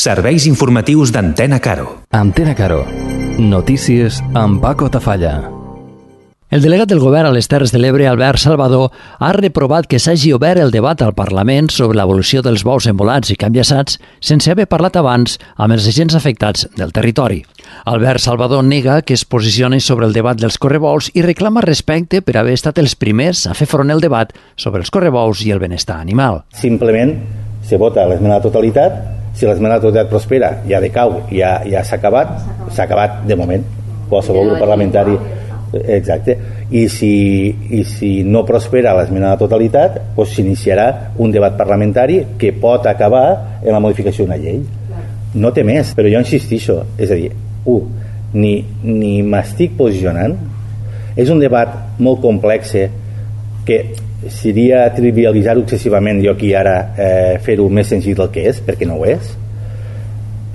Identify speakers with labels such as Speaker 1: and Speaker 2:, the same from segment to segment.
Speaker 1: Serveis informatius d'Antena Caro.
Speaker 2: Antena Caro. Notícies amb Paco Tafalla.
Speaker 3: El delegat del govern a les Terres de l'Ebre, Albert Salvador, ha reprovat que s'hagi obert el debat al Parlament sobre l'evolució dels bous embolats i canviassats sense haver parlat abans amb els agents afectats del territori. Albert Salvador nega que es posicioni sobre el debat dels correbous i reclama respecte per haver estat els primers a fer front al debat sobre els correbous i el benestar animal.
Speaker 4: Simplement se vota l'esmena a la totalitat. Si l'esmena a la totalitat prospera, ja decau, ja s'ha acabat de moment. Qualsevol grup parlamentari... Exacte. I si no prospera l'esmena a la totalitat, doncs s'iniciarà un debat parlamentari que pot acabar en la modificació d'una llei. No té més, però jo insistixo, és a dir, ni m'estic posicionant. És un debat molt complex que seria trivialitzar-ho excessivament jo aquí ara fer-ho més senzill del que és, perquè no ho és.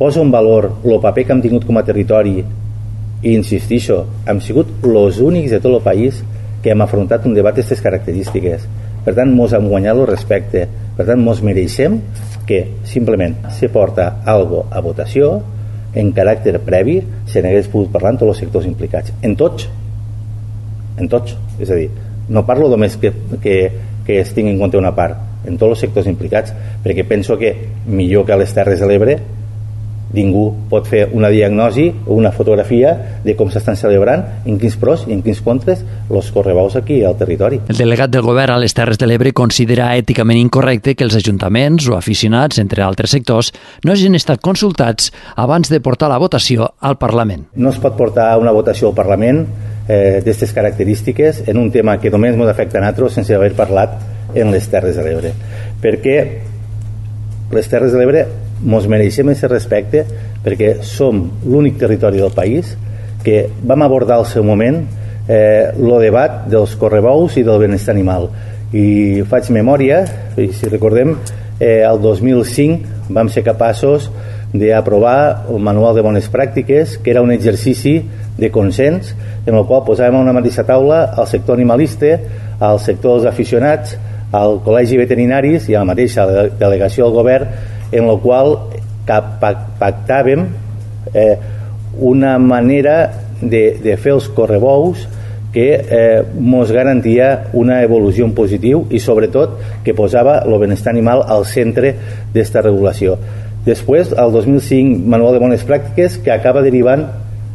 Speaker 4: Poso en valor el paper que hem tingut com a territori i insistixo, hem sigut els únics de tot el país que hem afrontat un debat d'aquestes característiques. Per tant, mos hem guanyat el respecte. Per tant, mos mereixem que simplement se porta algo a votació en caràcter previ, se n'hagués pogut parlar en tots els sectors implicats. En tots. És a dir, no parlo només que es tingui en compte una part, en tots els sectors implicats, perquè penso que millor que a les Terres de l'Ebre ningú pot fer una diagnosi o una fotografia de com s'estan celebrant, en quins pros i en quins contres els correbous aquí al territori.
Speaker 3: El delegat del govern a les Terres de l'Ebre considera èticament incorrecte que els ajuntaments o aficionats, entre altres sectors, no hagin estat consultats abans de portar la votació al Parlament.
Speaker 4: No es pot portar una votació al Parlament d'aquestes característiques en un tema que només ens afecta a nosaltres sense haver parlat en les Terres de l'Ebre. Perquè les Terres de l'Ebre ens mereixem aquest respecte, perquè som l'únic territori del país que vam abordar al seu moment el debat dels correbous i del benestar animal. I faig memòria, i si recordem, el 2005 vam ser capaços d'aprovar el Manual de Bones Pràctiques, que era un exercici de consens en el qual posàvem a una mateixa taula el sector animalista, el sector dels aficionats, el col·legi veterinaris i a la mateixa delegació del govern, en el qual pactàvem una manera de fer els correbous que ens garantia una evolució en positiu i sobretot que posava el benestar animal al centre d'esta regulació. Després, el 2005, Manual de Bones Pràctiques, que acaba derivant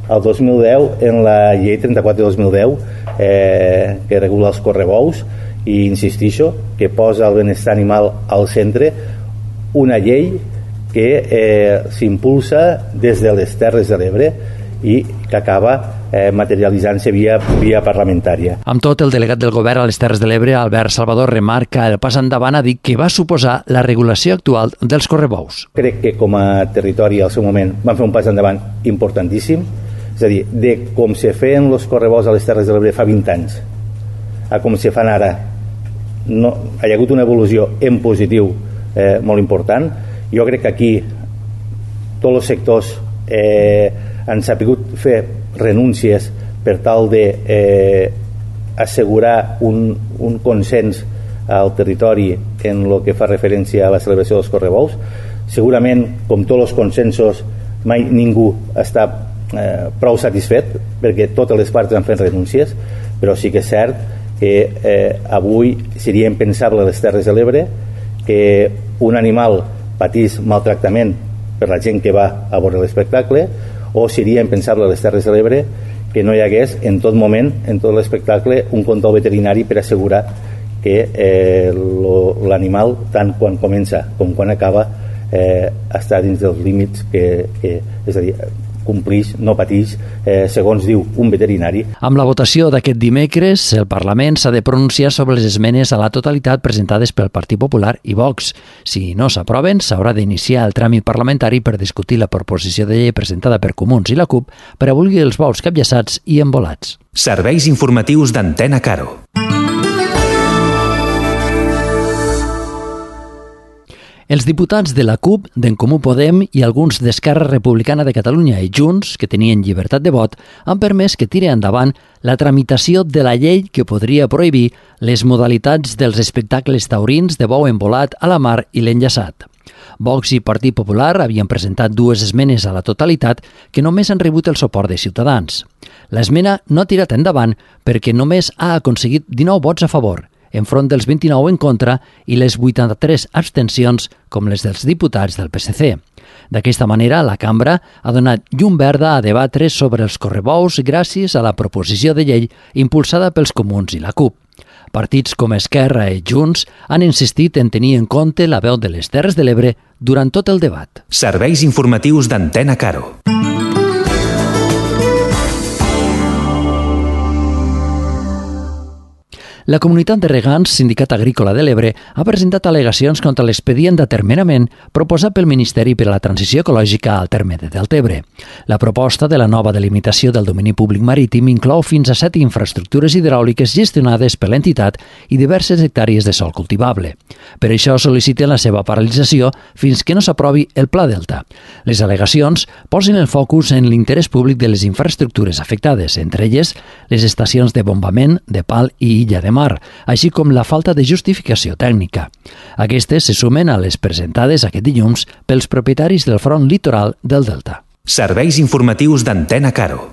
Speaker 4: el 2010 en la llei 34 de 2010 que regula els correbous, i insistixo que posa el benestar animal al centre, una llei que s'impulsa des de les Terres de l'Ebre i que acaba materialitzant-se via parlamentària.
Speaker 3: Amb tot, el delegat del govern a les Terres de l'Ebre, Albert Salvador, remarca el pas endavant a dir que va suposar la regulació actual dels correbous.
Speaker 4: Crec que com a territori al seu moment van fer un pas endavant importantíssim, és a dir, de com se feien els correbous a les Terres de l'Ebre fa 20 anys a com se fan ara, no, hi ha hagut una evolució en positiu molt important. Jo crec que aquí tots els sectors han sabut fer renúncies per tal de assegurar un consens al territori en el que fa referència a la celebració dels correbous. Segurament, com tots els consensos, mai ningú està prou satisfet, perquè totes les parts han fet renúncies, però sí que és cert que avui seria impensable a les Terres de l'Ebre que un animal patís maltractament per la gent que va a veure l'espectacle, o seria impensable a les Terres de l'Ebre que no hi hagués en tot moment, en tot l'espectacle, un control veterinari per assegurar que l'animal, tant quan comença com quan acaba, està dins dels límits és a dir, complix, no patix, segons diu un veterinari.
Speaker 3: Amb la votació d'aquest dimecres, el Parlament s'ha de pronunciar sobre les esmenes a la totalitat presentades pel Partit Popular i Vox. Si no s'aproven, s'haurà d'iniciar el tràmit parlamentari per discutir la proposició de llei presentada per Comuns i la CUP per abolir els bous capllaçats i embolats.
Speaker 1: Serveis informatius d'Antena Caro.
Speaker 3: Els diputats de la CUP, d'en Comú Podem i alguns d'Esquerra Republicana de Catalunya i Junts, que tenien llibertat de vot, han permès que tiri endavant la tramitació de la llei que podria prohibir les modalitats dels espectacles taurins de bou embolat a la mar i l'enllaçat. Vox i Partit Popular havien presentat 2 esmenes a la totalitat que només han rebut el suport de Ciutadans. L'esmena no ha tirat endavant perquè només ha aconseguit 19 vots a favor, enfront dels 29 en contra i les 83 abstencions com les dels diputats del PSC. D'aquesta manera, la cambra ha donat llum verda a debatre sobre els correbous gràcies a la proposició de llei impulsada pels Comuns i la CUP. Partits com Esquerra i Junts han insistit en tenir en compte la veu de les Terres de l'Ebre durant tot el debat.
Speaker 1: Serveis informatius d'Antena Caro.
Speaker 3: La comunitat de regants, Sindicat Agrícola de l'Ebre, ha presentat al·legacions contra l'expedient d'atermenament proposat pel Ministeri per a la Transició Ecològica al terme de Deltebre. La proposta de la nova delimitació del domini públic marítim inclou fins a 7 infraestructures hidràuliques gestionades per l'entitat i diverses hectàrees de sòl cultivable. Per això sol·liciten la seva paralització fins que no s'aprovi el Pla Delta. Les al·legacions posen el focus en l'interès públic de les infraestructures afectades, entre elles les estacions de bombament de Pal i Illa de Mar, així com la falta de justificació tècnica. Aquestes se sumen a les presentades aquest dilluns pels propietaris del front litoral del Delta.
Speaker 1: Serveis informatius d'Antena Caro.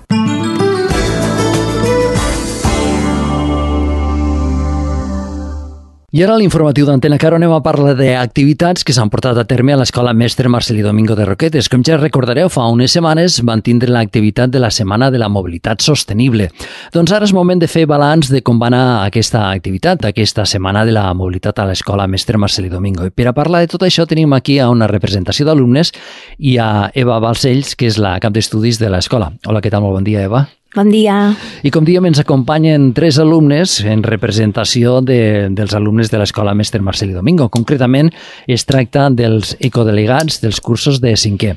Speaker 3: I ara a l'informatiu d'Antena Caro anem a parlar d'activitats que s'han portat a terme a l'Escola Mestre Marcelí Domingo de Roquetes. Com ja recordareu, fa unes setmanes van tindre l'activitat de la Setmana de la Mobilitat Sostenible. Doncs ara és moment de fer balanç de com va anar aquesta activitat, aquesta Setmana de la Mobilitat a l'Escola Mestre Marcelí Domingo. I per a parlar de tot això tenim aquí a una representació d'alumnes i a Eva Balcells, que és la cap d'estudis de l'escola. Hola, què tal? Molt bon dia, Eva.
Speaker 5: Bon dia.
Speaker 3: I com diem, ens acompanyen 3 alumnes en representació dels alumnes de l'Escola Mestre Marcelí Domingo. Concretament, es tracta dels ecodelegats dels cursos de 5è.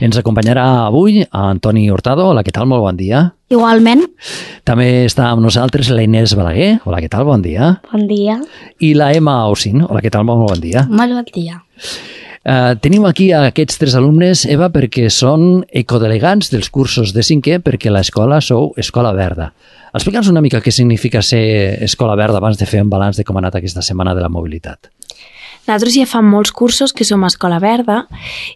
Speaker 3: Ens acompanyarà avui Antoni Hurtado. Hola, què tal? Molt bon dia.
Speaker 5: Igualment.
Speaker 3: També està amb nosaltres la Inés Balaguer. Hola, què tal? Bon dia.
Speaker 5: Bon dia.
Speaker 3: I la Emma Ausin. Hola, què tal? Molt bon dia.
Speaker 5: Molt bon dia.
Speaker 3: Tenim aquí aquests 3 alumnes, Eva, perquè són ecodelegats dels cursos de 5è, perquè l'escola sou Escola Verda. Explica'ns una mica què significa ser Escola Verda abans de fer un balanç de com ha anat aquesta Setmana de la Mobilitat.
Speaker 5: Nosaltres ja fa molts cursos que som a Escola Verda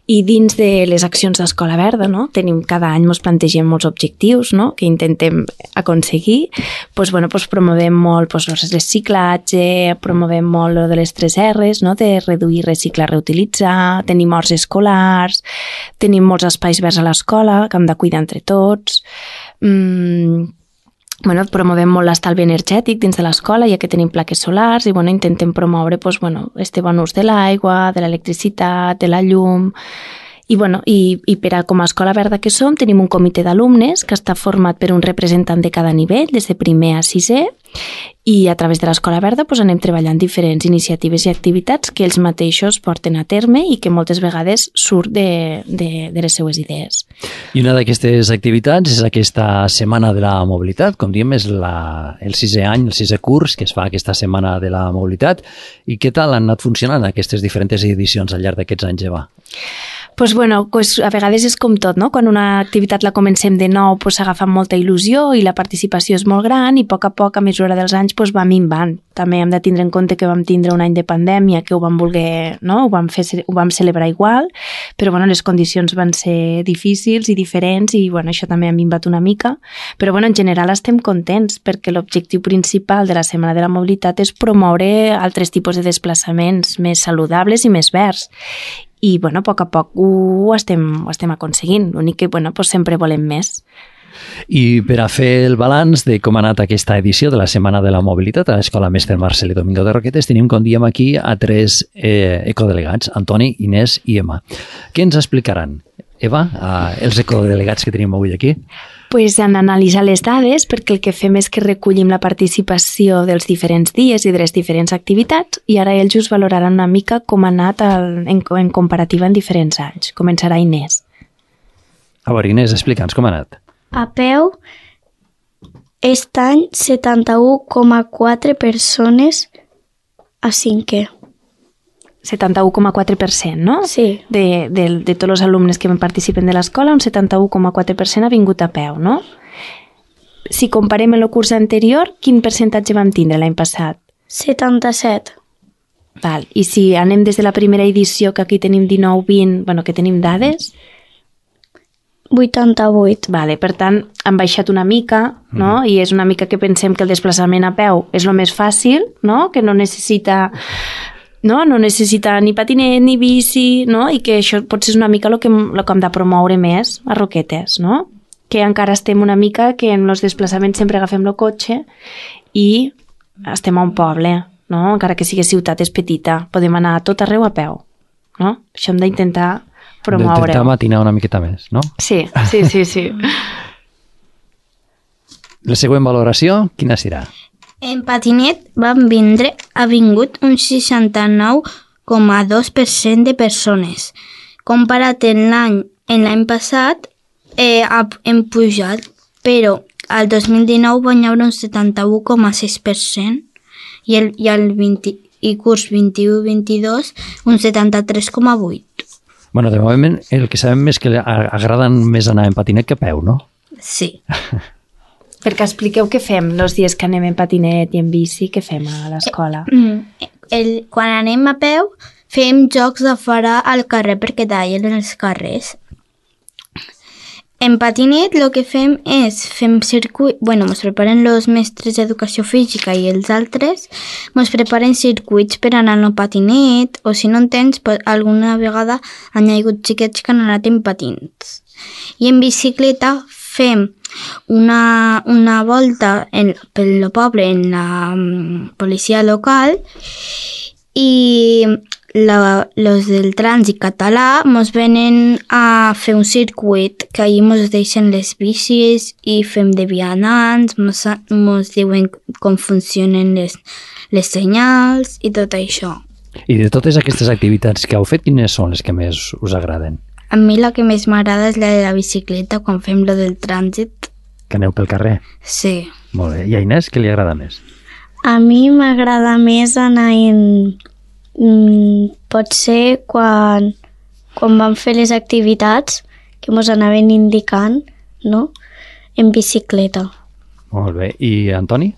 Speaker 5: i dins de les accions d'Escola Verda, no? Cada any ens plantegem molts objectius, no? Que intentem aconseguir. Promovem molt el reciclatge, promovem molt lo de les 3 R's, no? De reduir, reciclar, reutilitzar, tenim horts escolars, tenim molts espais verds a l'escola que hem de cuidar entre tots. Promovem molt l'estalvi energètic dins de l'escola, ja que tenim plaques solars, i intentem promoure este bon ús de l'aigua, de l'electricitat, de la llum. I per a com a Escola Verda que som, tenim un comitè d'alumnes que està format per un representant de cada nivell, des de primer a 6è, i a través de l'Escola Verda anem treballant diferents iniciatives i activitats que ells mateixos porten a terme i que moltes vegades surt de les seues idees.
Speaker 3: I una d'aquestes activitats és aquesta Setmana de la Mobilitat, com diem, és el 6è any, el 6è curs que es fa aquesta Setmana de la Mobilitat. I què tal han anat funcionant aquestes diferents edicions al llarg d'aquests anys, Eva?
Speaker 5: A vegades és com tot, no? Quan una activitat la comencem de nou s'agafa amb molta il·lusió i la participació és molt gran i a poc, a mesura dels anys, va minvant. També hem de tindre en compte que vam tindre un any de pandèmia que ho vam voler, no? Ho vam celebrar igual, però les condicions van ser difícils i diferents i això també ha minvat una mica. Però en general estem contents perquè l'objectiu principal de la Setmana de la Mobilitat és promoure altres tipus de desplaçaments més saludables i més verds. I, a poc ho estem aconseguint. L'únic que, sempre volem més.
Speaker 3: I per a fer el balanç de com ha anat aquesta edició de la Setmana de la Mobilitat a l'Escola Mestre Marcelí Domingo de Roquetes, tenim, com diem aquí, a 3 ecodelegats, Antoni, Inés i Emma. Què ens explicaran, Eva, els ecodelegats que tenim avui aquí?
Speaker 5: Han analitzat les dades perquè el que fem és que recollim la participació dels diferents dies i de les diferents activitats i ara ells us valoraran una mica com ha anat en comparativa en diferents anys. Començarà Inés.
Speaker 3: A veure, Inés, explica'ns com ha anat.
Speaker 6: A peu, aquest any 71,4 persones a 5è.
Speaker 5: 71,4%, no?
Speaker 6: Sí.
Speaker 5: De tots els alumnes que participen de l'escola, un 71,4% ha vingut a peu, no? Si comparem amb el curs anterior, quin percentatge vam tindre l'any passat?
Speaker 6: 77.
Speaker 5: Val. I si anem des de la primera edició, que aquí tenim 19-20, bueno, que tenim dades...
Speaker 6: 88.
Speaker 5: Vale, per tant, han baixat una mica, no? I és una mica que pensem que el desplaçament a peu és el més fàcil, no? Que no necessita ni patinet ni bici, no? I que això potser és una mica el que hem de promoure més a Roquetes, no? Que encara estem una mica que en els desplaçaments sempre agafem el cotxe i estem a un poble, no? Encara que sigui ciutat és petita, podem anar a tot arreu a peu, no? Això hem d'intentar promoure.
Speaker 3: D'intentar matinar una miqueta més, no?
Speaker 5: Sí.
Speaker 3: La següent valoració, quina serà?
Speaker 7: En patinet ha vingut un 69,2% de persones. Comparat en l'any passat, hem pujat, però al 2019 van haver un 71,6% i el curs 21-22 un 73,8%.
Speaker 3: Bueno, de moment el que sabem és que agraden més anar en patinet que a peu, no?
Speaker 7: Sí.
Speaker 5: Perquè expliqueu què fem els dies que anem en patinet i en bici, què fem a l'escola?
Speaker 7: Quan anem a peu, fem jocs de fora al carrer perquè tallen els carrers. En patinet el que fem és circuit, ens preparen els mestres d'educació física i els altres, ens preparen circuits per anar en el patinet, o si no en tens, alguna vegada han hagut xiquets que han anat en patins. I en bicicleta fem una volta pel poble en la policia local i los del trànsit català mos venen a fer un circuit que allí mos deixen les bicis i fem de vianants, mos diuen com funcionen les senyals i tot això.
Speaker 3: I de totes aquestes activitats que heu fet, quines són les que més us agraden?
Speaker 7: A mi la que més m'agrada és la de la bicicleta, quan fem lo del trànsit.
Speaker 3: Que aneu pel carrer?
Speaker 7: Sí.
Speaker 3: Molt bé. I a Inés, què li agrada més?
Speaker 6: A mi m'agrada més anar en... pot ser quan vam fer les activitats que ens anaven indicant, no? En bicicleta.
Speaker 3: Molt bé. I Antoni?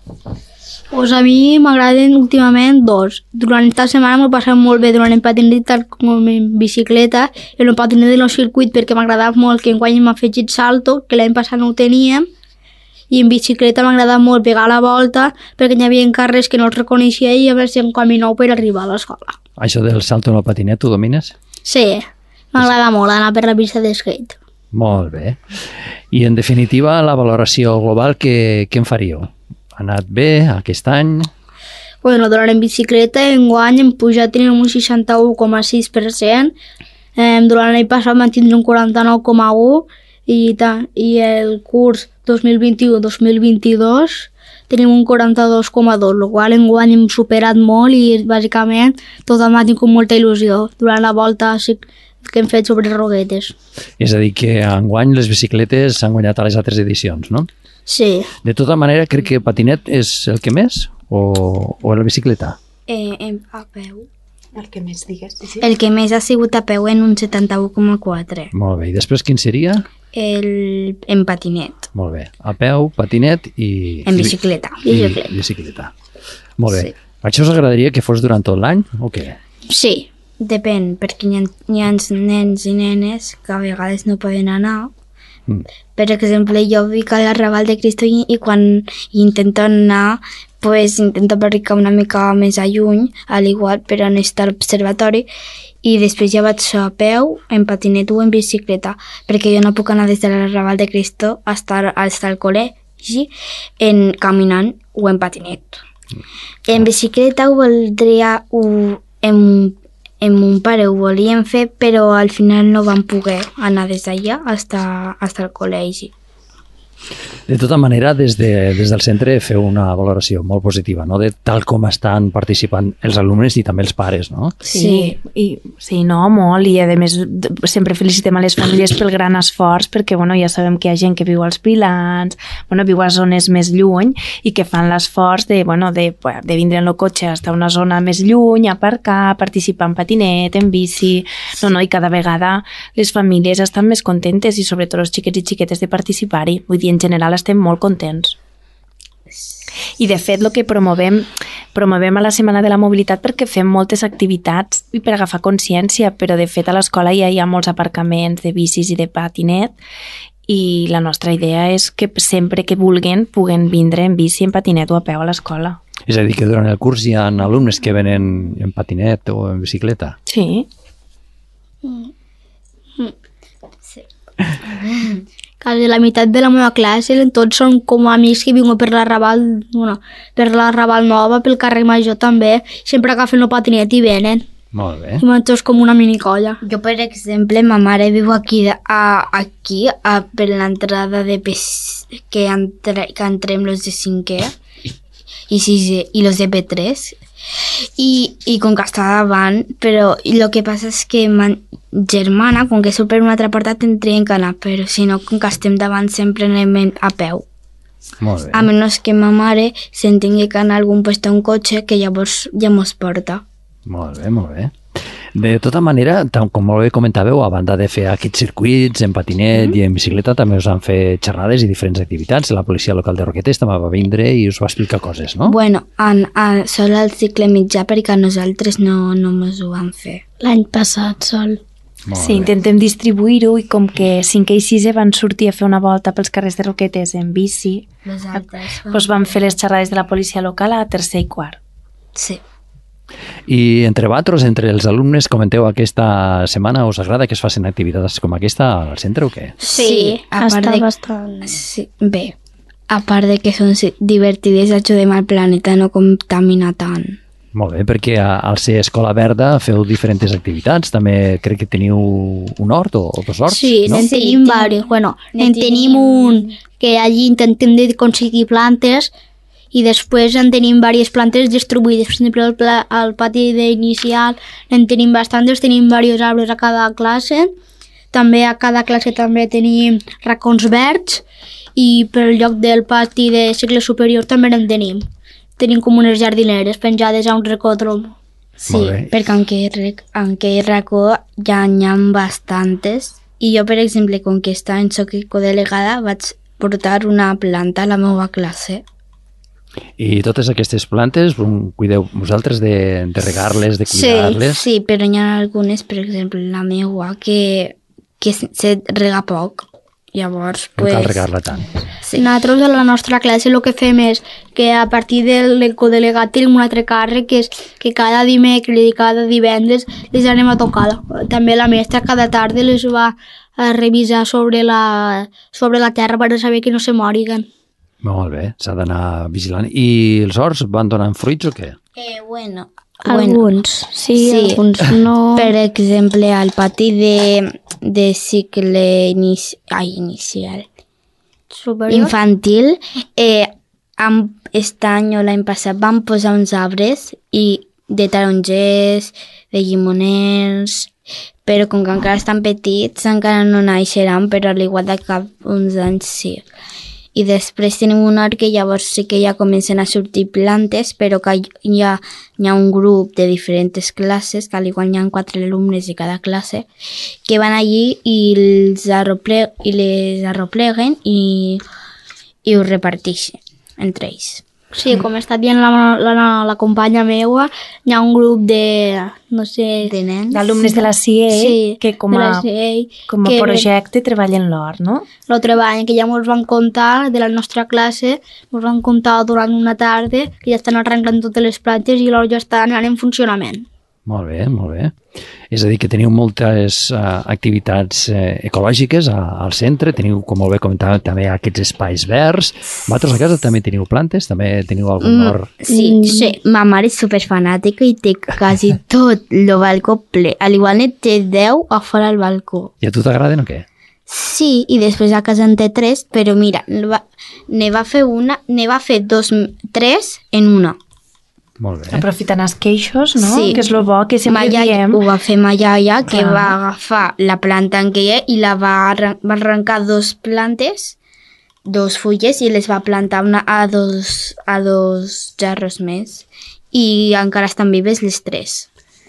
Speaker 8: Pues a mi m'agraden últimament dos. Durant esta setmana m'ho passat molt bé durant el patinet tal com en bicicleta i el patinet de los circuit perquè m'agrada molt que enguany m'ha afegit salto, que l'any passat no ho teníem, i en bicicleta m'agrada molt pegar la volta perquè hi havia carrers que no els reconeixia i a veure si em caminau per arribar a l'escola.
Speaker 3: Això del salto en el patinet, tu domines?
Speaker 8: Sí, m'agrada molt anar per la pista de skate.
Speaker 3: Molt bé. I en definitiva, la valoració global, què en faríeu? Ha anat bé aquest any?
Speaker 8: Bueno, durant en bicicleta enguany hem pujat tenim un 61,6%, durant l'any passat vam tindre un 49,1% i el curs 2021-2022 tenim un 42,2%, el qual enguany hem superat molt i bàsicament tothom ha tingut molta il·lusió durant la volta que hem fet sobre Roquetes.
Speaker 3: És a dir, que enguany les bicicletes s'han guanyat a les altres edicions, no?
Speaker 8: Sí.
Speaker 3: De tota manera, crec que patinet és el que més o la bicicleta?
Speaker 7: A peu.
Speaker 5: El que més digues. Sí?
Speaker 7: El que més ha sigut a peu en un 71,4%.
Speaker 3: Molt bé. I després quin seria?
Speaker 7: En patinet.
Speaker 3: Molt bé. A peu, patinet i...
Speaker 7: En bicicleta.
Speaker 3: Bicicleta. Molt bé.
Speaker 7: Sí.
Speaker 3: Això us agradaria que fos durant tot l'any o què?
Speaker 7: Sí, depèn, perquè hi ha nens i nenes que a vegades no poden anar. Per exemple, jo vic a l'Arrabal de Cristo i quan intento anar, pues intento arribar una mica més a lluny, al igual per on està l'observatori, i després ja vaig a peu, en patinet o en bicicleta, perquè jo no puc anar des de l'Arrabal de Cristo fins al col·legi caminant o en patinet. En bicicleta ho voldria, en mon pare ho volíem fer, però al final no vam poder anar des d'allà fins al col·legi.
Speaker 3: De tota manera, des del centre feu una valoració molt positiva, no? De tal com estan participant els alumnes i també els pares, no?
Speaker 5: Sí, molt, i a més sempre felicitem a les famílies pel gran esforç perquè ja sabem que hi ha gent que viu als Pilans, viu a zones més lluny i que fan l'esforç de vindre en el cotxe fins a una zona més lluny, aparcar, participar en patinet, en bici, i cada vegada les famílies estan més contentes i sobretot els xiquets i xiquetes de participar-hi, vull dir, en general estem molt contents. I de fet el que promovem a la Setmana de la Mobilitat perquè fem moltes activitats i per agafar consciència, però de fet a l'escola ja hi ha molts aparcaments de bicis i de patinet i la nostra idea és que sempre que vulguin puguen vindre en bici, en patinet o a peu a l'escola.
Speaker 3: És a dir, que durant el curs hi ha alumnes que venen en patinet o en bicicleta?
Speaker 5: Sí.
Speaker 8: Quasi la meitat de la meva classe tots són com amics que viuen per la Raval Nova, pel carrer Major també, sempre agafen el patinet i venen.
Speaker 3: Molt bé.
Speaker 8: I tots com una minicolla.
Speaker 7: Jo, per exemple, ma mare viu aquí per l'entrada de que entrem los de 5è i 6è i los de P3 i com que està davant, però el que passa és que ma germana, com que surt per una altra porta, tindrien que anar, però si no, com que estem davant sempre anem a peu.
Speaker 3: Molt bé.
Speaker 7: A menys que ma mare se'n tingui que anar a algun lloc un cotxe que llavors ja mos porta.
Speaker 3: Molt bé, molt bé. De tota manera, com molt bé comentàveu, a banda de fer aquests circuits en patinet i en bicicleta, també us han fet xerrades i diferents activitats. La policia local de Roquetes també va vindre i us va explicar coses, no?
Speaker 7: Bueno, sol al cicle mitjà perquè a nosaltres no mos ho van fer.
Speaker 6: L'any passat sol.
Speaker 5: Sí, intentem distribuir-ho i com que 5è i 6è van sortir a fer una volta pels carrers de Roquetes en bici, doncs van fer les xerrades de la policia local a 3è i 4è.
Speaker 7: Sí.
Speaker 3: I entre vosaltres, entre els alumnes, comenteu, aquesta setmana us agrada que es facin activitats com aquesta al centre o què?
Speaker 7: Sí,
Speaker 6: està bastant...
Speaker 7: Sí, bé, a part de que són divertides, ajudem al planeta a no contaminar tant.
Speaker 3: Molt bé, perquè al ser Escola Verda feu diferents activitats, també crec que teniu un hort o dos horts,
Speaker 8: sí,
Speaker 3: no?
Speaker 8: Sí, tenim diversos. Bueno, tenim un que allí intentem aconseguir plantes i després en tenim diverses plantes distribuïdes. Per exemple, al pati d'inicial en tenim bastantes, tenim diversos arbres a cada classe. També a cada classe també tenim racons verds i per lloc del pati de cicle superior també en tenim. Tenim com unes jardineres penjades a un recòdrom.
Speaker 7: Sí, perquè en aquell racó ja n'hi ha bastantes. I jo, per exemple, com que soc codelegada, vaig portar una planta a la meva classe.
Speaker 3: I totes aquestes plantes cuideu vosaltres de regar-les, de cuidar-les?
Speaker 7: Sí, però hi ha algunes, per exemple, la meva, que se rega poc. Llavors,
Speaker 3: no cal regar-la tant.
Speaker 8: Sí. Nosaltres a la nostra classe el que fem és que a partir del codelegat tenim un altre càrrec que és que cada dimecres i cada divendres les anem a tocar. També la mestra cada tarda les va a revisar sobre la terra per saber que no se moriguen.
Speaker 3: Molt bé, s'ha d'anar vigilant. I els horts van donant fruits o què?
Speaker 6: Alguns, sí, alguns no.
Speaker 7: Per exemple, al pati de cicle inicial
Speaker 8: superior,
Speaker 7: infantil, aquest any o l'any passat van posar uns arbres de tarongers, de llimoners, però com que encara estan petits encara no naixeran, però a l'igual de cap uns anys sí. I després tenim un hort que llavors sí que ja comencen a sortir plantes, però que hi ha un grup de diferents classes, que al igual hi ha 4 alumnes de cada classe, que van allí i les arropleguen i ho reparteixen entre ells.
Speaker 8: Sí, com està dient la companya meua, hi ha un grup de, no sé...
Speaker 7: De nens.
Speaker 5: D'alumnes de la CIE,
Speaker 8: sí,
Speaker 5: que com a projecte treballen l'hort, no?
Speaker 8: Lo treballen, que ja ens van contar de la nostra classe, ens van contar durant una tarda que ja estan arrencant totes les plantes i l'hort ja està anant en funcionament.
Speaker 3: Molt bé, molt bé. És a dir, que teniu moltes activitats ecològiques al centre, teniu, com molt bé comentàvem, també aquests espais verds. Vosaltres a casa també teniu plantes? També teniu algun hort?
Speaker 7: Sí. Ma mare és superfanàtica i té quasi tot el balcó ple. A l'igual ne té 10 a fora al balcó.
Speaker 3: I a tu t'agraden o què?
Speaker 7: Sí, i després a casa en té 3, però mira, ne va fer 3 en una.
Speaker 3: Molt bé.
Speaker 5: Aprofitant els queixos, no?
Speaker 7: Sí.
Speaker 5: Que és el bo que sempre diem.
Speaker 7: Ho va fer ma iaia, que va agafar la planta en què hi ha i va arrencar 2 plantes, 2 fulles i les va plantar a dos jarros més. I encara estan vives les 3.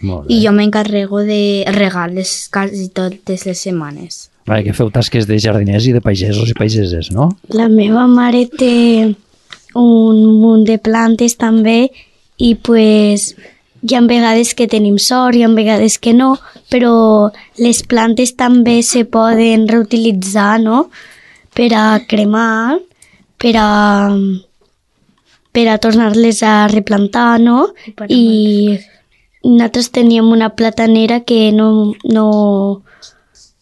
Speaker 3: Molt bé.
Speaker 7: I jo m'encarrego de regar-les quasi totes les setmanes.
Speaker 3: Vale, que feu tasques de jardiners i de pagesos i pageses, no?
Speaker 6: La meva mare té un munt de plantes també i pues hi ha vegades que tenim sort, hi ha vegades que no, però les plantes també se poden reutilitzar, no? Per a cremar, per a tornar-les a replantar, no? I nosaltres teníem una platanera que no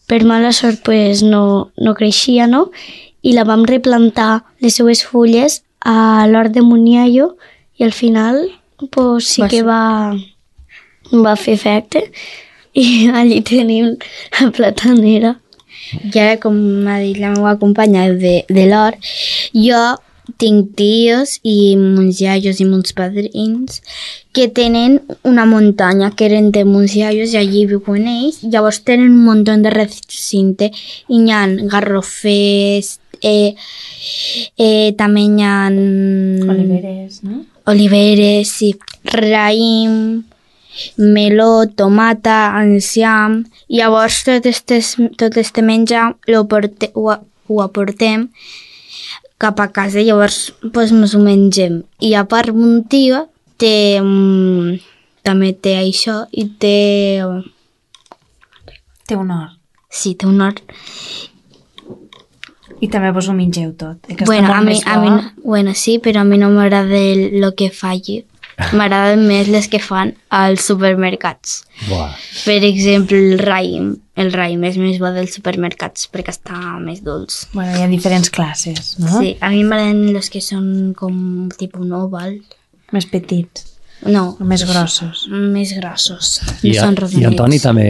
Speaker 6: per mala sort pues, no creixia, no? I la vam replantar les seues fulles a l'hort de Muniayo i al final pues, sí que va fer efecte i allí tenim la platanera.
Speaker 7: Ja, com m'ha dit la meva companya de l'hort, jo tinc tios i mons iaios i mons padrins que tenen una muntanya que eren de mons iaios i allí viuen ells. Llavors tenen un munt de recinte i hi ha garrofers, també hi ha...
Speaker 5: Oliveres, no?
Speaker 7: Oliveres, sí. Raïm, meló, tomata, enciam. Llavors tot este menjar ho aportem cap a casa i llavors pues, ens ho mengem. I a part mon tio també té això i té...
Speaker 5: Té un hort.
Speaker 7: Sí, té un hort.
Speaker 5: I també vos ho mengeu tot. Que
Speaker 7: Bueno, a mi, sí, però a mi no m'agrada el que falli. M'agraden més les que fan als supermercats.
Speaker 3: Buah.
Speaker 7: Per exemple, el raïm. El raïm és més bo dels supermercats perquè està més dolç.
Speaker 5: Bueno, hi ha diferents classes, no?
Speaker 7: Sí, a mi m'agraden els que són com tipus un oval.
Speaker 5: Més petits.
Speaker 7: No.
Speaker 5: O més grossos.
Speaker 7: Més grossos.
Speaker 3: I Antoni també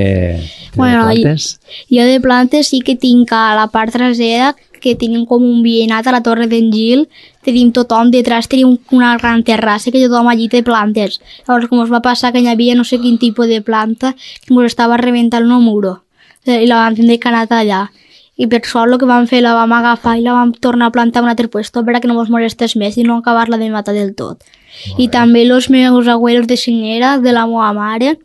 Speaker 3: té plantes?
Speaker 8: Jo de plantes sí que tinc a la part trasera que tenim com un veïnat a la Torre d'en Gil, tenim tothom, detrás tenim una gran terrassa que tothom allí té plantes. Llavors, com es va passar que hi havia no sé quin tipus de planta que ens estava rebentant un muro i la vam tindre que anar allà. I per sort el que vam fer, la vam agafar i la vam tornar a plantar en un altre puesto perquè no ens molestés més i no acabar-la de matar del tot. I també els meus abuelos de senyera, de la meva mare,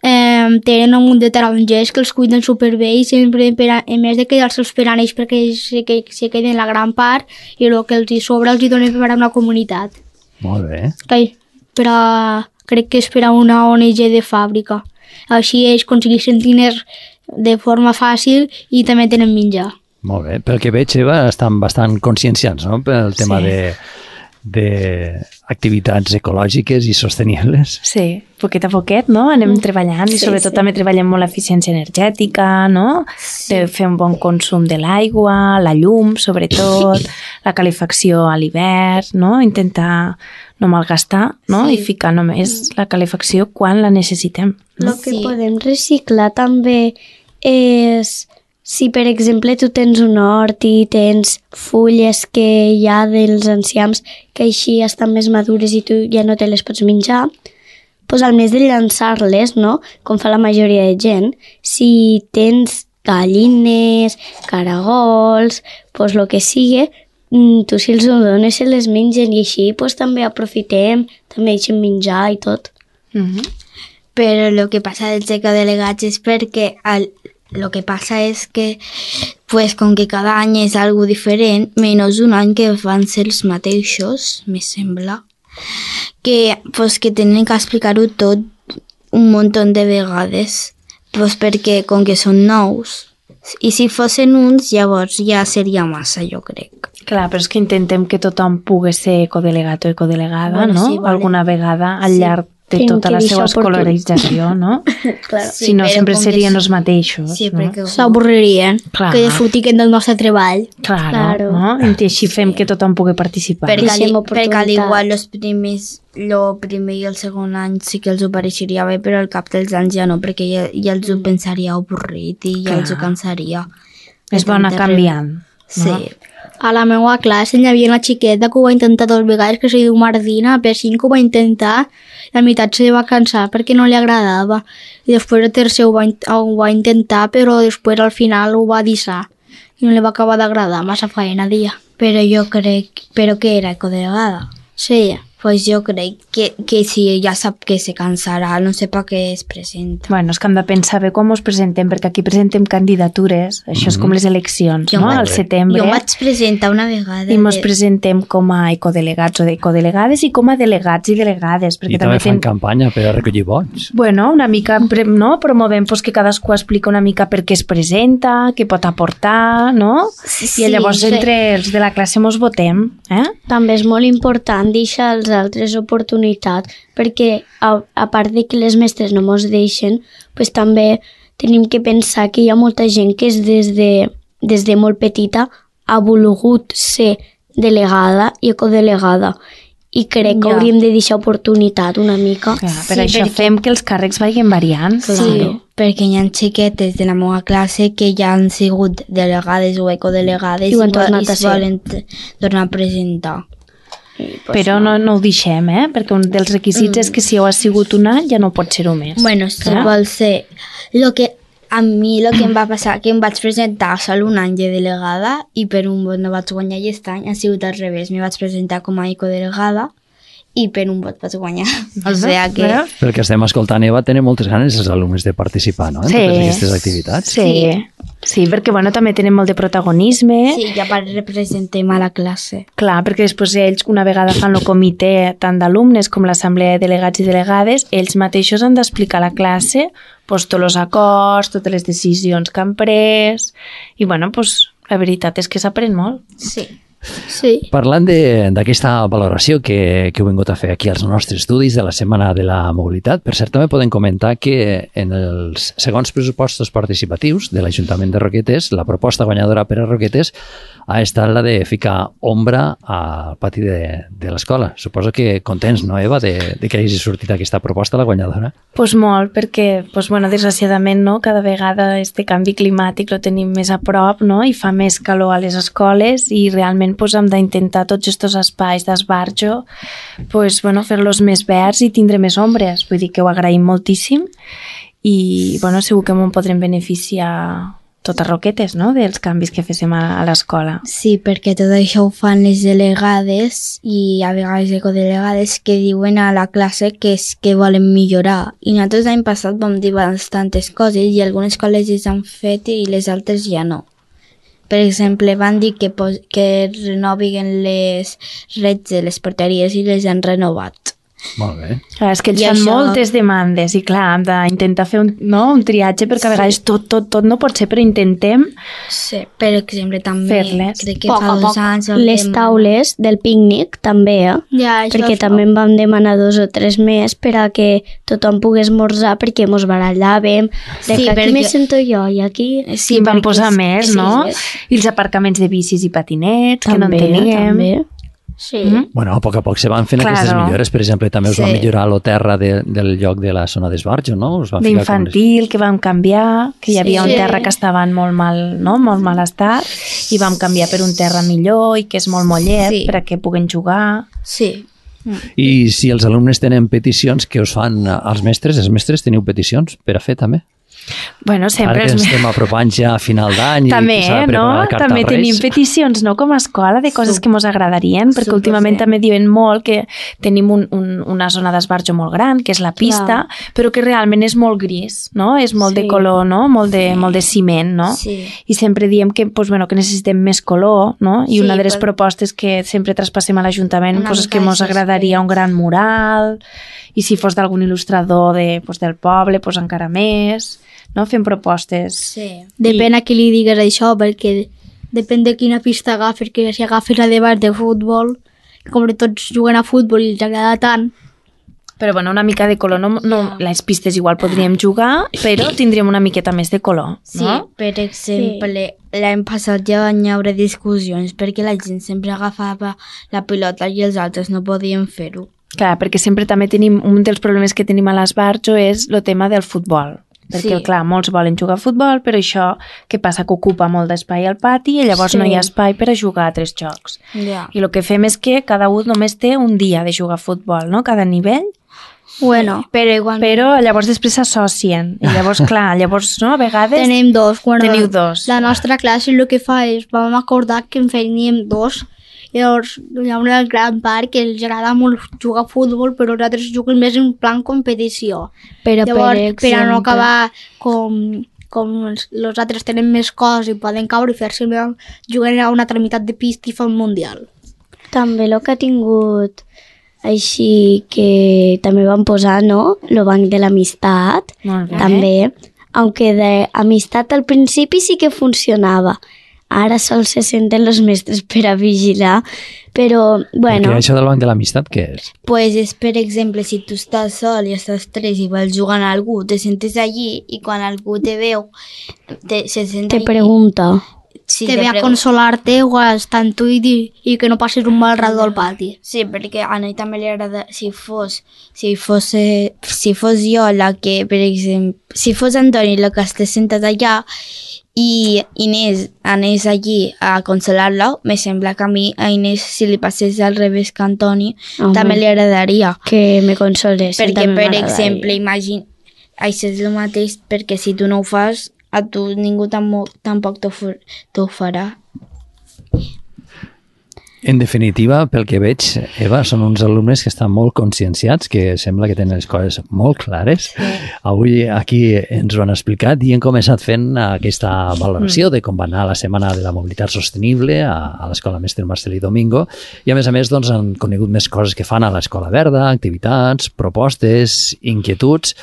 Speaker 8: tenen un munt de tarongers que els cuiden superbé i sempre, a més de quedar-se'ls per a ells perquè se queden la gran part i el que els hi sobra els hi donen per a una comunitat.
Speaker 3: Molt bé.
Speaker 8: Crec que és per a una ONG de fàbrica. Així ells aconsegueixen diners de forma fàcil i també tenen menjar.
Speaker 3: Molt bé. Pel que veig, Eva, estan bastant conscienciats, no?, pel tema d'activitats ecològiques i sostenibles.
Speaker 5: Sí, poquet a poquet, no? Anem treballant i sobretot també treballem molt l'eficiència energètica, no? De fer un bon consum de l'aigua, la llum, sobretot, la calefacció a l'hivern, no? Intentar no malgastar, no? I ficar només la calefacció quan la necessitem.
Speaker 6: El que podem reciclar també és... Si, per exemple, tu tens un hort i tens fulles que hi ha dels enciams que així estan més madures i tu ja no te les pots menjar, doncs al més de llançar-les, no?, com fa la majoria de gent, si tens gallines, caragols, doncs el que sigui, tu si els dones se les mengen i així doncs, també aprofitem, també deixem menjar i tot.
Speaker 7: Però el que passa dels ecodelegats és perquè lo que passa és que, pues, com que cada any és algo diferent, menys un any que van ser els mateixos, me sembla, que, pues, que tenen que explicar-ho tot un munt de vegades, pues, perquè com que són nous, i si fossin uns, llavors ja seria massa, jo crec.
Speaker 5: Clar, però és que intentem que tothom pugui ser ecodelegat o ecodelegada, bueno, no? Sí, vale. Alguna vegada al llarg de tota la seva escolarització, no?
Speaker 7: Claro.
Speaker 5: Si no, sempre serien els mateixos.
Speaker 7: Sí, perquè
Speaker 8: s'avorririen, que disfrutiquen del nostre treball.
Speaker 5: Claro, no? I així fem que tothom pugui participar.
Speaker 7: Perquè al igual el primer i el segon any sí que els ho pareixeria bé, però al cap dels anys ja no, perquè ja els ho pensaria avorrit i ja els ho cansaria.
Speaker 5: És bo anar canviant.
Speaker 7: Sí.
Speaker 8: A la meva classe hi havia una xiqueta que ho va intentar 2 vegades, que se diu Martina, per 5 ho va intentar, i a meitat se va cansar perquè no li agradava. I després el tercer ho va intentar, però després al final ho va deixar. I no li va acabar d'agradar, massa feina dia.
Speaker 7: Però jo crec... Però què era, ecodelegada?
Speaker 8: Sí.
Speaker 7: Pues jo crec que si ja sap que se cansarà, no sé per què es presenta.
Speaker 5: Bueno, és que hem de pensar bé com us presentem, perquè aquí presentem candidatures, això és com les eleccions, no? Al setembre.
Speaker 7: Jo vaig presentar una vegada.
Speaker 5: I ens presentem com a ecodelegats o ecodelegades i com a delegats i delegades.
Speaker 3: I també fan campanya per a recollir vots.
Speaker 5: Bueno, una mica, no? Promovem pues, que cadascú explica una mica per què es presenta, què pot aportar, no?
Speaker 6: Sí,
Speaker 5: i llavors entre els de la classe mos votem.
Speaker 6: També és molt important deixar als altres oportunitats, perquè a part de que les mestres no mos deixen, pues també tenim que pensar que hi ha molta gent que és des de molt petita ha volgut ser delegada i ecodelegada, i crec que hauríem de deixar oportunitat una mica.
Speaker 5: Clar, per això fem que els càrrecs vagin variant.
Speaker 7: Sí, perquè hi ha xiquetes de la meva classe que ja han sigut delegades o ecodelegades
Speaker 6: i ho han tornat a ser.
Speaker 7: Volen tornar a presentar.
Speaker 5: Però no ho deixem, perquè un dels requisits és que si heu sigut un any ja no pot ser-ho més.
Speaker 7: Bueno, si vol ser... A mi el que em va passar, que em vaig presentar sol un any de delegada i per un vot no vaig guanyar, i aquest any ha sigut al revés. Me vaig presentar com a ecodelegada i per un vot vaig guanyar. O sigui que...
Speaker 3: Pel que estem escoltant, Eva, tenen moltes ganes els alumnes de participar, no?, en totes aquestes activitats.
Speaker 5: Sí, perquè bueno, també tenen molt de protagonisme.
Speaker 7: Sí, ja representem a la classe.
Speaker 5: Clar, perquè després ells, una vegada fan el comitè tant d'alumnes com l'assemblea de delegats i delegades, ells mateixos han d'explicar a la classe tots els acords, totes les decisions que han pres, i bueno, la veritat és que s'aprèn molt.
Speaker 6: Sí.
Speaker 3: Parlant d'aquesta valoració que heu vingut a fer aquí als nostres estudis de la Setmana de la Mobilitat, per cert, també podem comentar que en els segons pressupostos participatius de l'Ajuntament de Roquetes, la proposta guanyadora per a Roquetes ha estat la de ficar ombra al pati de l'escola. Suposo que contents, no, Eva, de que hagi sortit aquesta proposta, la guanyadora?
Speaker 5: Pues molt, perquè, desgraciadament, no, cada vegada este canvi climàtic lo tenim més a prop, no, i fa més calor a les escoles, i realment hem d'intentar tots aquests espais d'esbarjo fer-los més verds i tindre més ombres. Vull dir que ho agraïm moltíssim i segur que m'ho podrem beneficiar totes Roquetes, no?, dels canvis que féssim a l'escola.
Speaker 7: Sí, perquè tot això ho fan les delegades i a vegades ecodelegades que diuen a la classe que és que volen millorar. I nosaltres l'any passat vam dir bastantes coses i algunes col·legis han fet i les altres ja no. Per exemple, van dir que renovin les rets de les porteries i les han renovat.
Speaker 3: Molt bé.
Speaker 5: Clar, és que ells fan moltes demandes i clar, hem d'intentar fer un triatge perquè a vegades tot no pot ser, però intentem
Speaker 7: per exemple també
Speaker 5: fer-les.
Speaker 7: Crec que fa 2 anys
Speaker 6: les taules del pícnic també, perquè també en vam demanar 2 o 3 més per a que tothom pogués esmorzar, perquè mos barallàvem aquí me sento jo i aquí
Speaker 5: en vam posar més, no? I els aparcaments de bicis i patinets que no en teníem
Speaker 6: també. Sí.
Speaker 3: Bueno, a poc se van fent aquestes millores. Per exemple, també us van millorar la terra del lloc de la zona d'esbarjo, no?
Speaker 5: D'infantil, que vam canviar, que hi havia un terra que estava en molt mal estat, i vam canviar per un terra millor i que és molt mollet perquè puguen jugar.
Speaker 7: Sí.
Speaker 3: I si els alumnes tenen peticions, què us fan els mestres? Els mestres teniu peticions per a fer també?
Speaker 5: Bueno, sempre...
Speaker 3: Ara que estem apropant ja a final d'any
Speaker 5: també,
Speaker 3: i s'ha de preparar la carta
Speaker 5: també
Speaker 3: als Reis.
Speaker 5: tenim peticions, no?, com a escola, de coses que ens agradarien, perquè últimament també diuen molt que tenim una zona d'esbarjo molt gran, que és la pista, però que realment és molt gris, no? És molt de color, no? Molt de ciment, no?
Speaker 7: Sí.
Speaker 5: I sempre diem que necessitem més color, no? I una de les propostes que sempre traspassem a l'Ajuntament és que ens agradaria un gran mural, i si fos d'algun il·lustrador del poble, encara més... No? Fem propostes.
Speaker 7: Sí.
Speaker 8: Depèn a qui li digues això, perquè depèn de quina pista agafes, que si agafes la de base de futbol, com tots juguen a futbol i els agrada tant.
Speaker 5: Però bueno, una mica de color, les pistes igual podríem jugar, però tindríem una miqueta més de color.
Speaker 7: Sí, no? Per exemple, l'any passat ja van haver discussions perquè la gent sempre agafava la pilota i els altres no podien fer-ho.
Speaker 5: Clar, perquè sempre també tenim, un dels problemes que tenim a l'esbarjo és el tema del futbol. Perquè, clar, molts volen jugar a futbol, però això, què passa? Que ocupa molt d'espai al pati i llavors no hi ha espai per a jugar a 3 jocs. I el que fem és que cada un només té un dia de jugar a futbol, no? Cada nivell.
Speaker 6: Bueno,
Speaker 5: però llavors després s'associen. I llavors, clar, no? A vegades...
Speaker 8: Tenim 2.
Speaker 5: Teniu 2.
Speaker 8: La nostra classe el que fa és, vam acordar que en faríem 2 Llavors hi ha una gran part que els agrada molt jugar a futbol, però els altres juguen més en plan competició.
Speaker 7: Però,
Speaker 8: Llavors,
Speaker 7: per
Speaker 8: per a no
Speaker 7: exemple,
Speaker 8: acabar com els altres tenen més coses i poden caure i fer-se juguen a una altra meitat de pista i fa un mundial.
Speaker 6: També el que ha tingut així que també van posar, no? El banc de l'amistat,
Speaker 5: Molt bé.
Speaker 6: també, aunque d'amistat al principi sí que funcionava. Ara sols se senten els mestres per a vigilar, però, bueno...
Speaker 3: Perquè això del banc de l'amistat, què és?
Speaker 7: pues és, per exemple, si tu estàs sol i estàs tres i vols jugar amb algú, te sentes allí i quan algú te veu, se sent
Speaker 6: Te
Speaker 7: allí.
Speaker 6: pregunta.
Speaker 7: Sí,
Speaker 8: te ve a consolar-te o a estar amb tu i que no passis un mal rato al pati.
Speaker 7: Sí, perquè a ell també li agrada, si fos jo la que, per exemple, si fos Antoni la que estàs sentat allà i Inés anés allí a consolar-la, me sembla que a mi, a Inés, si li passés al revés que a Antoni,
Speaker 6: Home.
Speaker 7: també li agradaria.
Speaker 6: Que me consolés.
Speaker 7: Perquè, per exemple, imagina, això és el mateix, perquè si tu no ho fas, a tu ningú tampoc t'ho farà.
Speaker 3: En definitiva, pel que veig, Eva, són uns alumnes que estan molt conscienciats, que sembla que tenen les coses molt clares. Sí. Avui aquí ens ho han explicat i hem començat fent aquesta valoració de com va anar la Setmana de la Mobilitat Sostenible a l'Escola Mestre Marcelí Domingo i, a més, doncs, han conegut més coses que fan a l'Escola Verda, activitats, propostes, inquietuds.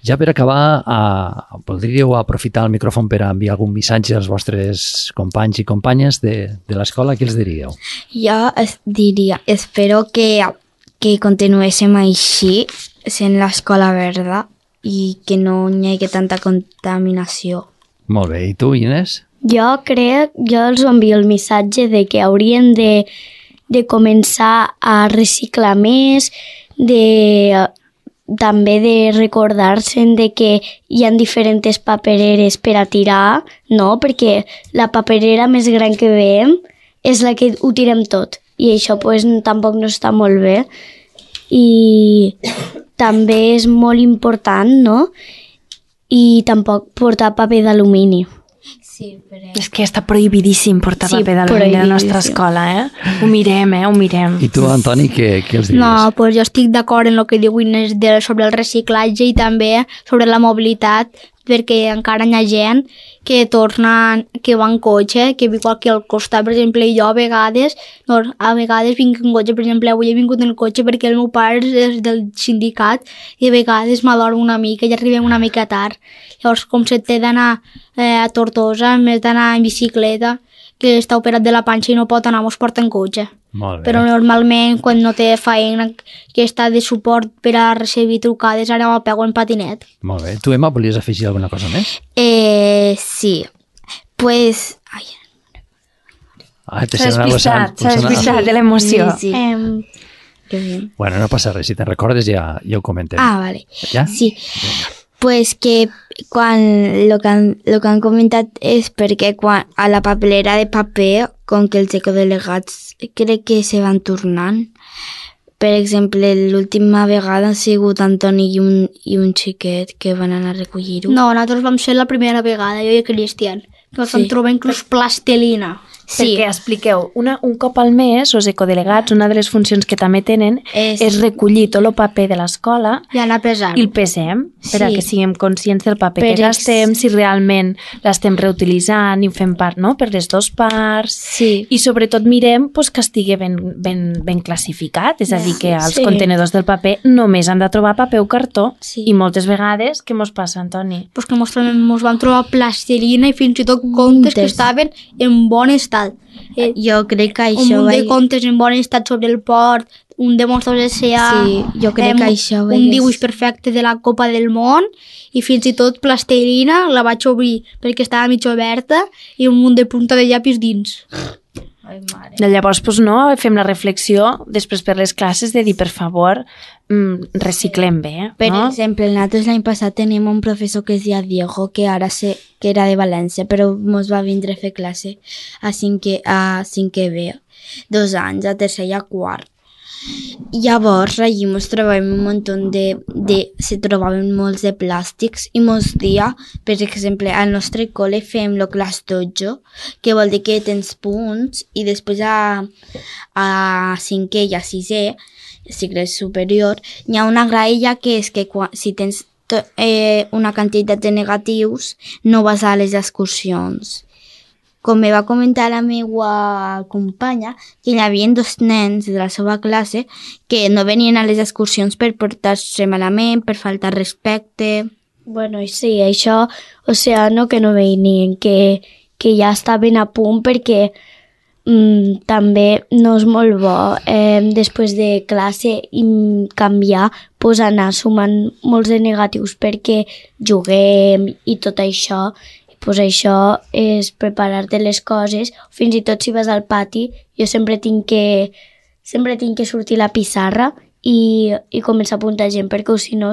Speaker 3: Ja per acabar, podríeu aprofitar el micròfon per enviar algun missatge als vostres companys i companyes de l'escola? Què els diríeu?
Speaker 7: Jo diria, espero que continuéssim així, sent l'escola verda, i que no hi hagi tanta contaminació.
Speaker 3: Molt bé. I tu, Inés?
Speaker 6: Jo els envio el missatge de que haurien de començar a reciclar més, també de recordar-se de que hi ha diferents papereres per a tirar, no? Perquè la paperera més gran que veiem és la que ho tirem tot i això pues, tampoc no està molt bé i també és molt important, no? I tampoc portar paper d'alumini.
Speaker 7: Sí, però...
Speaker 5: És que està prohibidíssim portar
Speaker 6: Sí,
Speaker 5: paper d'alumini a la nostra
Speaker 6: prohibidíssim.
Speaker 5: escola, Ho mirem, ho mirem.
Speaker 3: I tu, Antoni, què els diries?
Speaker 8: No, pues jo estic d'acord en el que diu Inés sobre el reciclatge i també sobre la mobilitat, perquè encara hi ha gent que que va en cotxe, que viu aquí al costat, per exemple, i jo a vegades vinc en cotxe, per exemple, avui he vingut en cotxe perquè el meu pare és del sindicat i a vegades m'adormo una mica i arribem una mica tard. Llavors, com se té d'anar a Tortosa, en vez d'anar en bicicleta, que està operat de la panxa i no pot anar, mos porta en cotxe.
Speaker 3: Molt bé.
Speaker 8: Però normalment, quan no té feina que està de suport per a recibir trucades, ara me'l pego en patinet.
Speaker 3: Molt bé. Tu, Emma, volies afegir alguna cosa més?
Speaker 7: Sí. Pues... Ai,
Speaker 5: S'ha despistat de l'emoció.
Speaker 7: sí. Que bien.
Speaker 3: Bueno, no passa res. Si te'n recordes ja ho comentem.
Speaker 7: Ah, vale.
Speaker 3: Ja?
Speaker 7: Sí. Pues que quan lo que han comentat és perquè quan a la papelera de paper, com que els ecodelegats crec que se van tornant. Per exemple, l'última vegada han sigut Antoni i un xiquet que van anar a recollir-ho.
Speaker 8: No, nosaltres vam ser la primera vegada, jo i Cristian. Ens vam trobar inclús plastelina.
Speaker 7: Sí.
Speaker 5: Perquè expliqueu, un cop al mes, els ecodelegats, una de les funcions que també tenen és recollir tot el paper de l'escola
Speaker 8: I anar pesant.
Speaker 5: i el pesem, per a
Speaker 7: Sí.
Speaker 5: que siguem conscients del paper
Speaker 7: Per
Speaker 5: que gastem, si realment l'estem reutilitzant i ho fem part, no?, per les dues parts.
Speaker 7: Sí.
Speaker 5: I sobretot mirem pues, que estigui ben classificat, és a dir, que als
Speaker 6: Sí.
Speaker 5: contenedors del paper només han de trobar paper o cartó.
Speaker 7: Sí.
Speaker 5: I moltes vegades, què mos passa, Antoni?
Speaker 8: Pues que mos vam trobar plastelina i fins i tot contes que estaven en bon estat.
Speaker 7: Jo crec que
Speaker 8: Un
Speaker 7: això
Speaker 8: munt de contes en bon estat sobre el port, un de monstres S.A.
Speaker 7: Sí, jo crec que això
Speaker 8: un dibuix perfecte de la Copa del Món i fins i tot plastelina la vaig obrir perquè estava mig oberta i un munt de punta de llapis dins.
Speaker 7: Ai, mare.
Speaker 5: Llavors, pues, no, fem la reflexió després per les classes de dir, per favor, reciclem bé,
Speaker 7: Per
Speaker 5: no?
Speaker 7: exemple, nosaltres l'any passat teníem un professor que es deia Diego, que era de València, però mos va vindre a fer classe a cinquè B, 2 anys, a tercer i a quart. Llavors, allí ens trobàvem un munt se trobaven molts de plàstics i molts dies, per exemple, al nostre col·le fem el class dojo, que vol dir que tens punts i després a 5è i a 6è, cicle superior, hi ha una graella que és que si tens una quantitat de negatius no vas a les excursions. Com me va comentar la meva companya, que hi havia 2 nens de la seva classe que no venien a les excursions per portar-se malament, per faltar respecte.
Speaker 6: Bueno, sí, això, o sea, no que no venien, que ja estaven a punt perquè també no és molt bo després de classe canviar, pues anar sumant molts de negatius perquè juguem i tot això. Pues això és preparar-te les coses. Fins i tot si vas al pati, jo sempre tinc que sortir la pissarra i començar a apuntar gent, perquè si no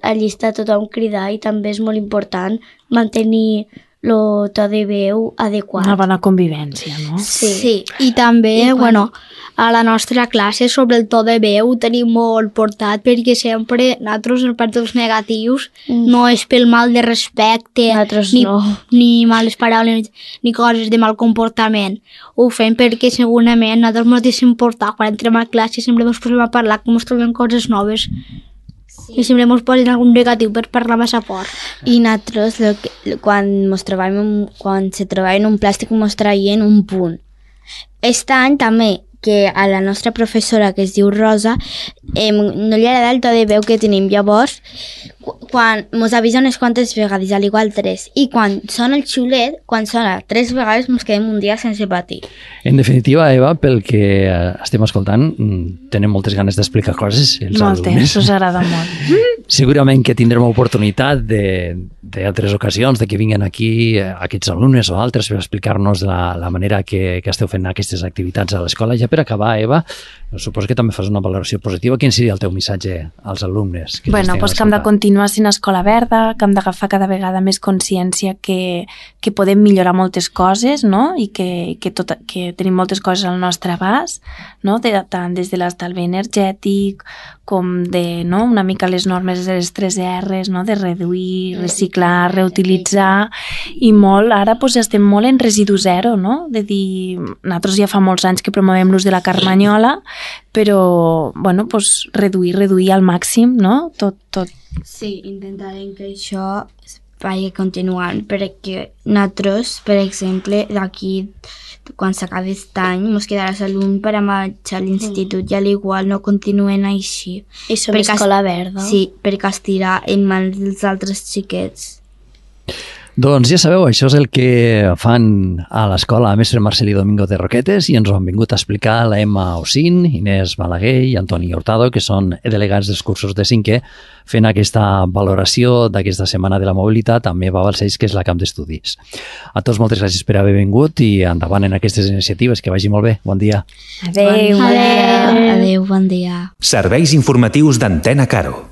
Speaker 6: allí està tothom cridar i també és molt important mantenir el to de veu adequat.
Speaker 5: Una bona convivència, no?
Speaker 8: Sí. I també, a la nostra classe sobre el to de veu tenim molt portat, perquè sempre nosaltres, en part dels negatius, no és pel mal de respecte, ni males paraules, ni coses de mal comportament. Ho fem perquè segurament nosaltres ens deixem portar. Quan entrem a classe sempre ens posem a parlar com ens trobem coses noves. I sempre ens posen algun negatiu per parlar massa fort.
Speaker 7: I nosaltres, quan se trobaven un plàstic, ens traien un punt. Aquest any també, que a la nostra professora, que es diu Rosa, no li agrada el to de veu que tenim. Llavors, quan ens avisa unes quantes vegades, al igual 3, i quan sona el xiulet, quan sona 3 vegades, ens quedem un dia sense patir.
Speaker 3: En definitiva, Eva, pel que estem escoltant, tenen moltes ganes d'explicar coses els alumnes.
Speaker 5: Moltes, us agrada molt.
Speaker 3: Segurament que tindrem oportunitat d'altres ocasions, de que vinguin aquí aquests alumnes o altres per explicar-nos la manera que esteu fent aquestes activitats a l'escola. Ja per acabar, Eva, suposo que també fas una valoració positiva. Quin seria el teu missatge als alumnes?
Speaker 5: Bueno, doncs que hem de continuar sent escola verda, que hem d'agafar cada vegada més consciència que podem millorar moltes coses, no? I que tenim moltes coses al nostre abast, no? Tant des de l'estalvi energètic com de una mica les normes de les 3 R's, no? De reduir, reciclar, reutilitzar, i molt, ara estem molt en residu zero, no? De dir, nosaltres ja fa molts anys que promovem l'ús de la carmanyola, però, reduir al màxim, no? Tot.
Speaker 7: Sí, intentarem que això vagi continuant, perquè nosaltres, per exemple, d'aquí, quan s'acabi aquest any, ens quedarà algun per a marxar a l'institut i a l'igual no continuen així.
Speaker 6: I som escola verda.
Speaker 7: Sí, perquè estirà en mans dels altres xiquets.
Speaker 3: Doncs ja sabeu, això és el que fan a l'escola Mestre Marcelí Domingo de Roquetes, i ens ho han vingut a explicar la Emma Osín, Inés Balaguer i Antoni Hurtado, que són delegats dels cursos de 5è, fent aquesta valoració d'aquesta setmana de la mobilitat amb Eva Balcells, que és la camp d'estudis. A tots moltes gràcies per haver vingut i endavant en aquestes iniciatives, que vagi molt bé. Bon dia.
Speaker 5: Adéu.
Speaker 7: Adéu, bon dia.
Speaker 1: Serveis informatius d'Antena Caro.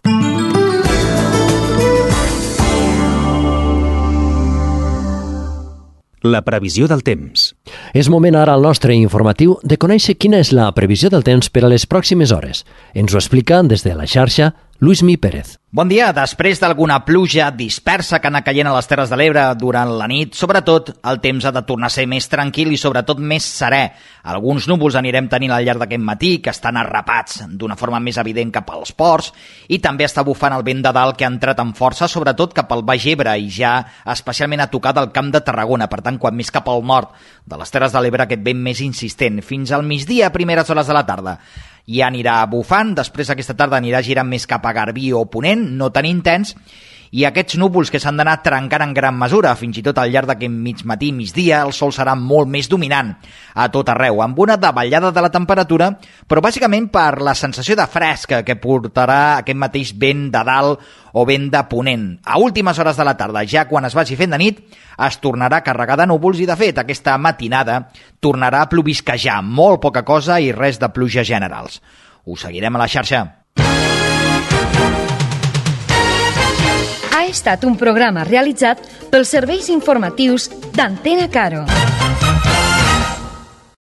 Speaker 1: La previsió del temps.
Speaker 3: És moment ara al nostre informatiu de conèixer quina és la previsió del temps per a les pròximes hores. Ens ho explica des de la xarxa Luismi Pérez.
Speaker 9: Bon dia. Després d'alguna pluja dispersa que ha anat caient a les Terres de l'Ebre durant la nit, sobretot el temps ha de tornar a ser més tranquil i sobretot més serè. Alguns núvols anirem tenint al llarg d'aquest matí que estan arrapats d'una forma més evident cap als ports, i també està bufant el vent de dalt que ha entrat amb força, sobretot cap al Baix Ebre, i ja especialment a tocar del Camp de Tarragona. Per tant, quan més cap al nord de les Terres de l'Ebre, aquest vent més insistent. Fins al migdia, a primeres hores de la tarda, ja anirà bufant, després aquesta tarda anirà girant més cap a Garbí o Ponent, no tan intens, i aquests núvols que s'han d'anar trencant en gran mesura, fins i tot al llarg d'aquest mig matí, migdia, el sol serà molt més dominant a tot arreu, amb una davallada de la temperatura, però bàsicament per la sensació de fresca que portarà aquest mateix vent de dalt o vent de ponent. A últimes hores de la tarda, ja quan es vagi fent de nit, es tornarà a carregar de núvols i, de fet, aquesta matinada tornarà a plovisquejar, molt poca cosa i res de pluja generals. Us seguirem a la xarxa.
Speaker 10: Ha estat un programa realitzat pels serveis informatius d'Antena Caro.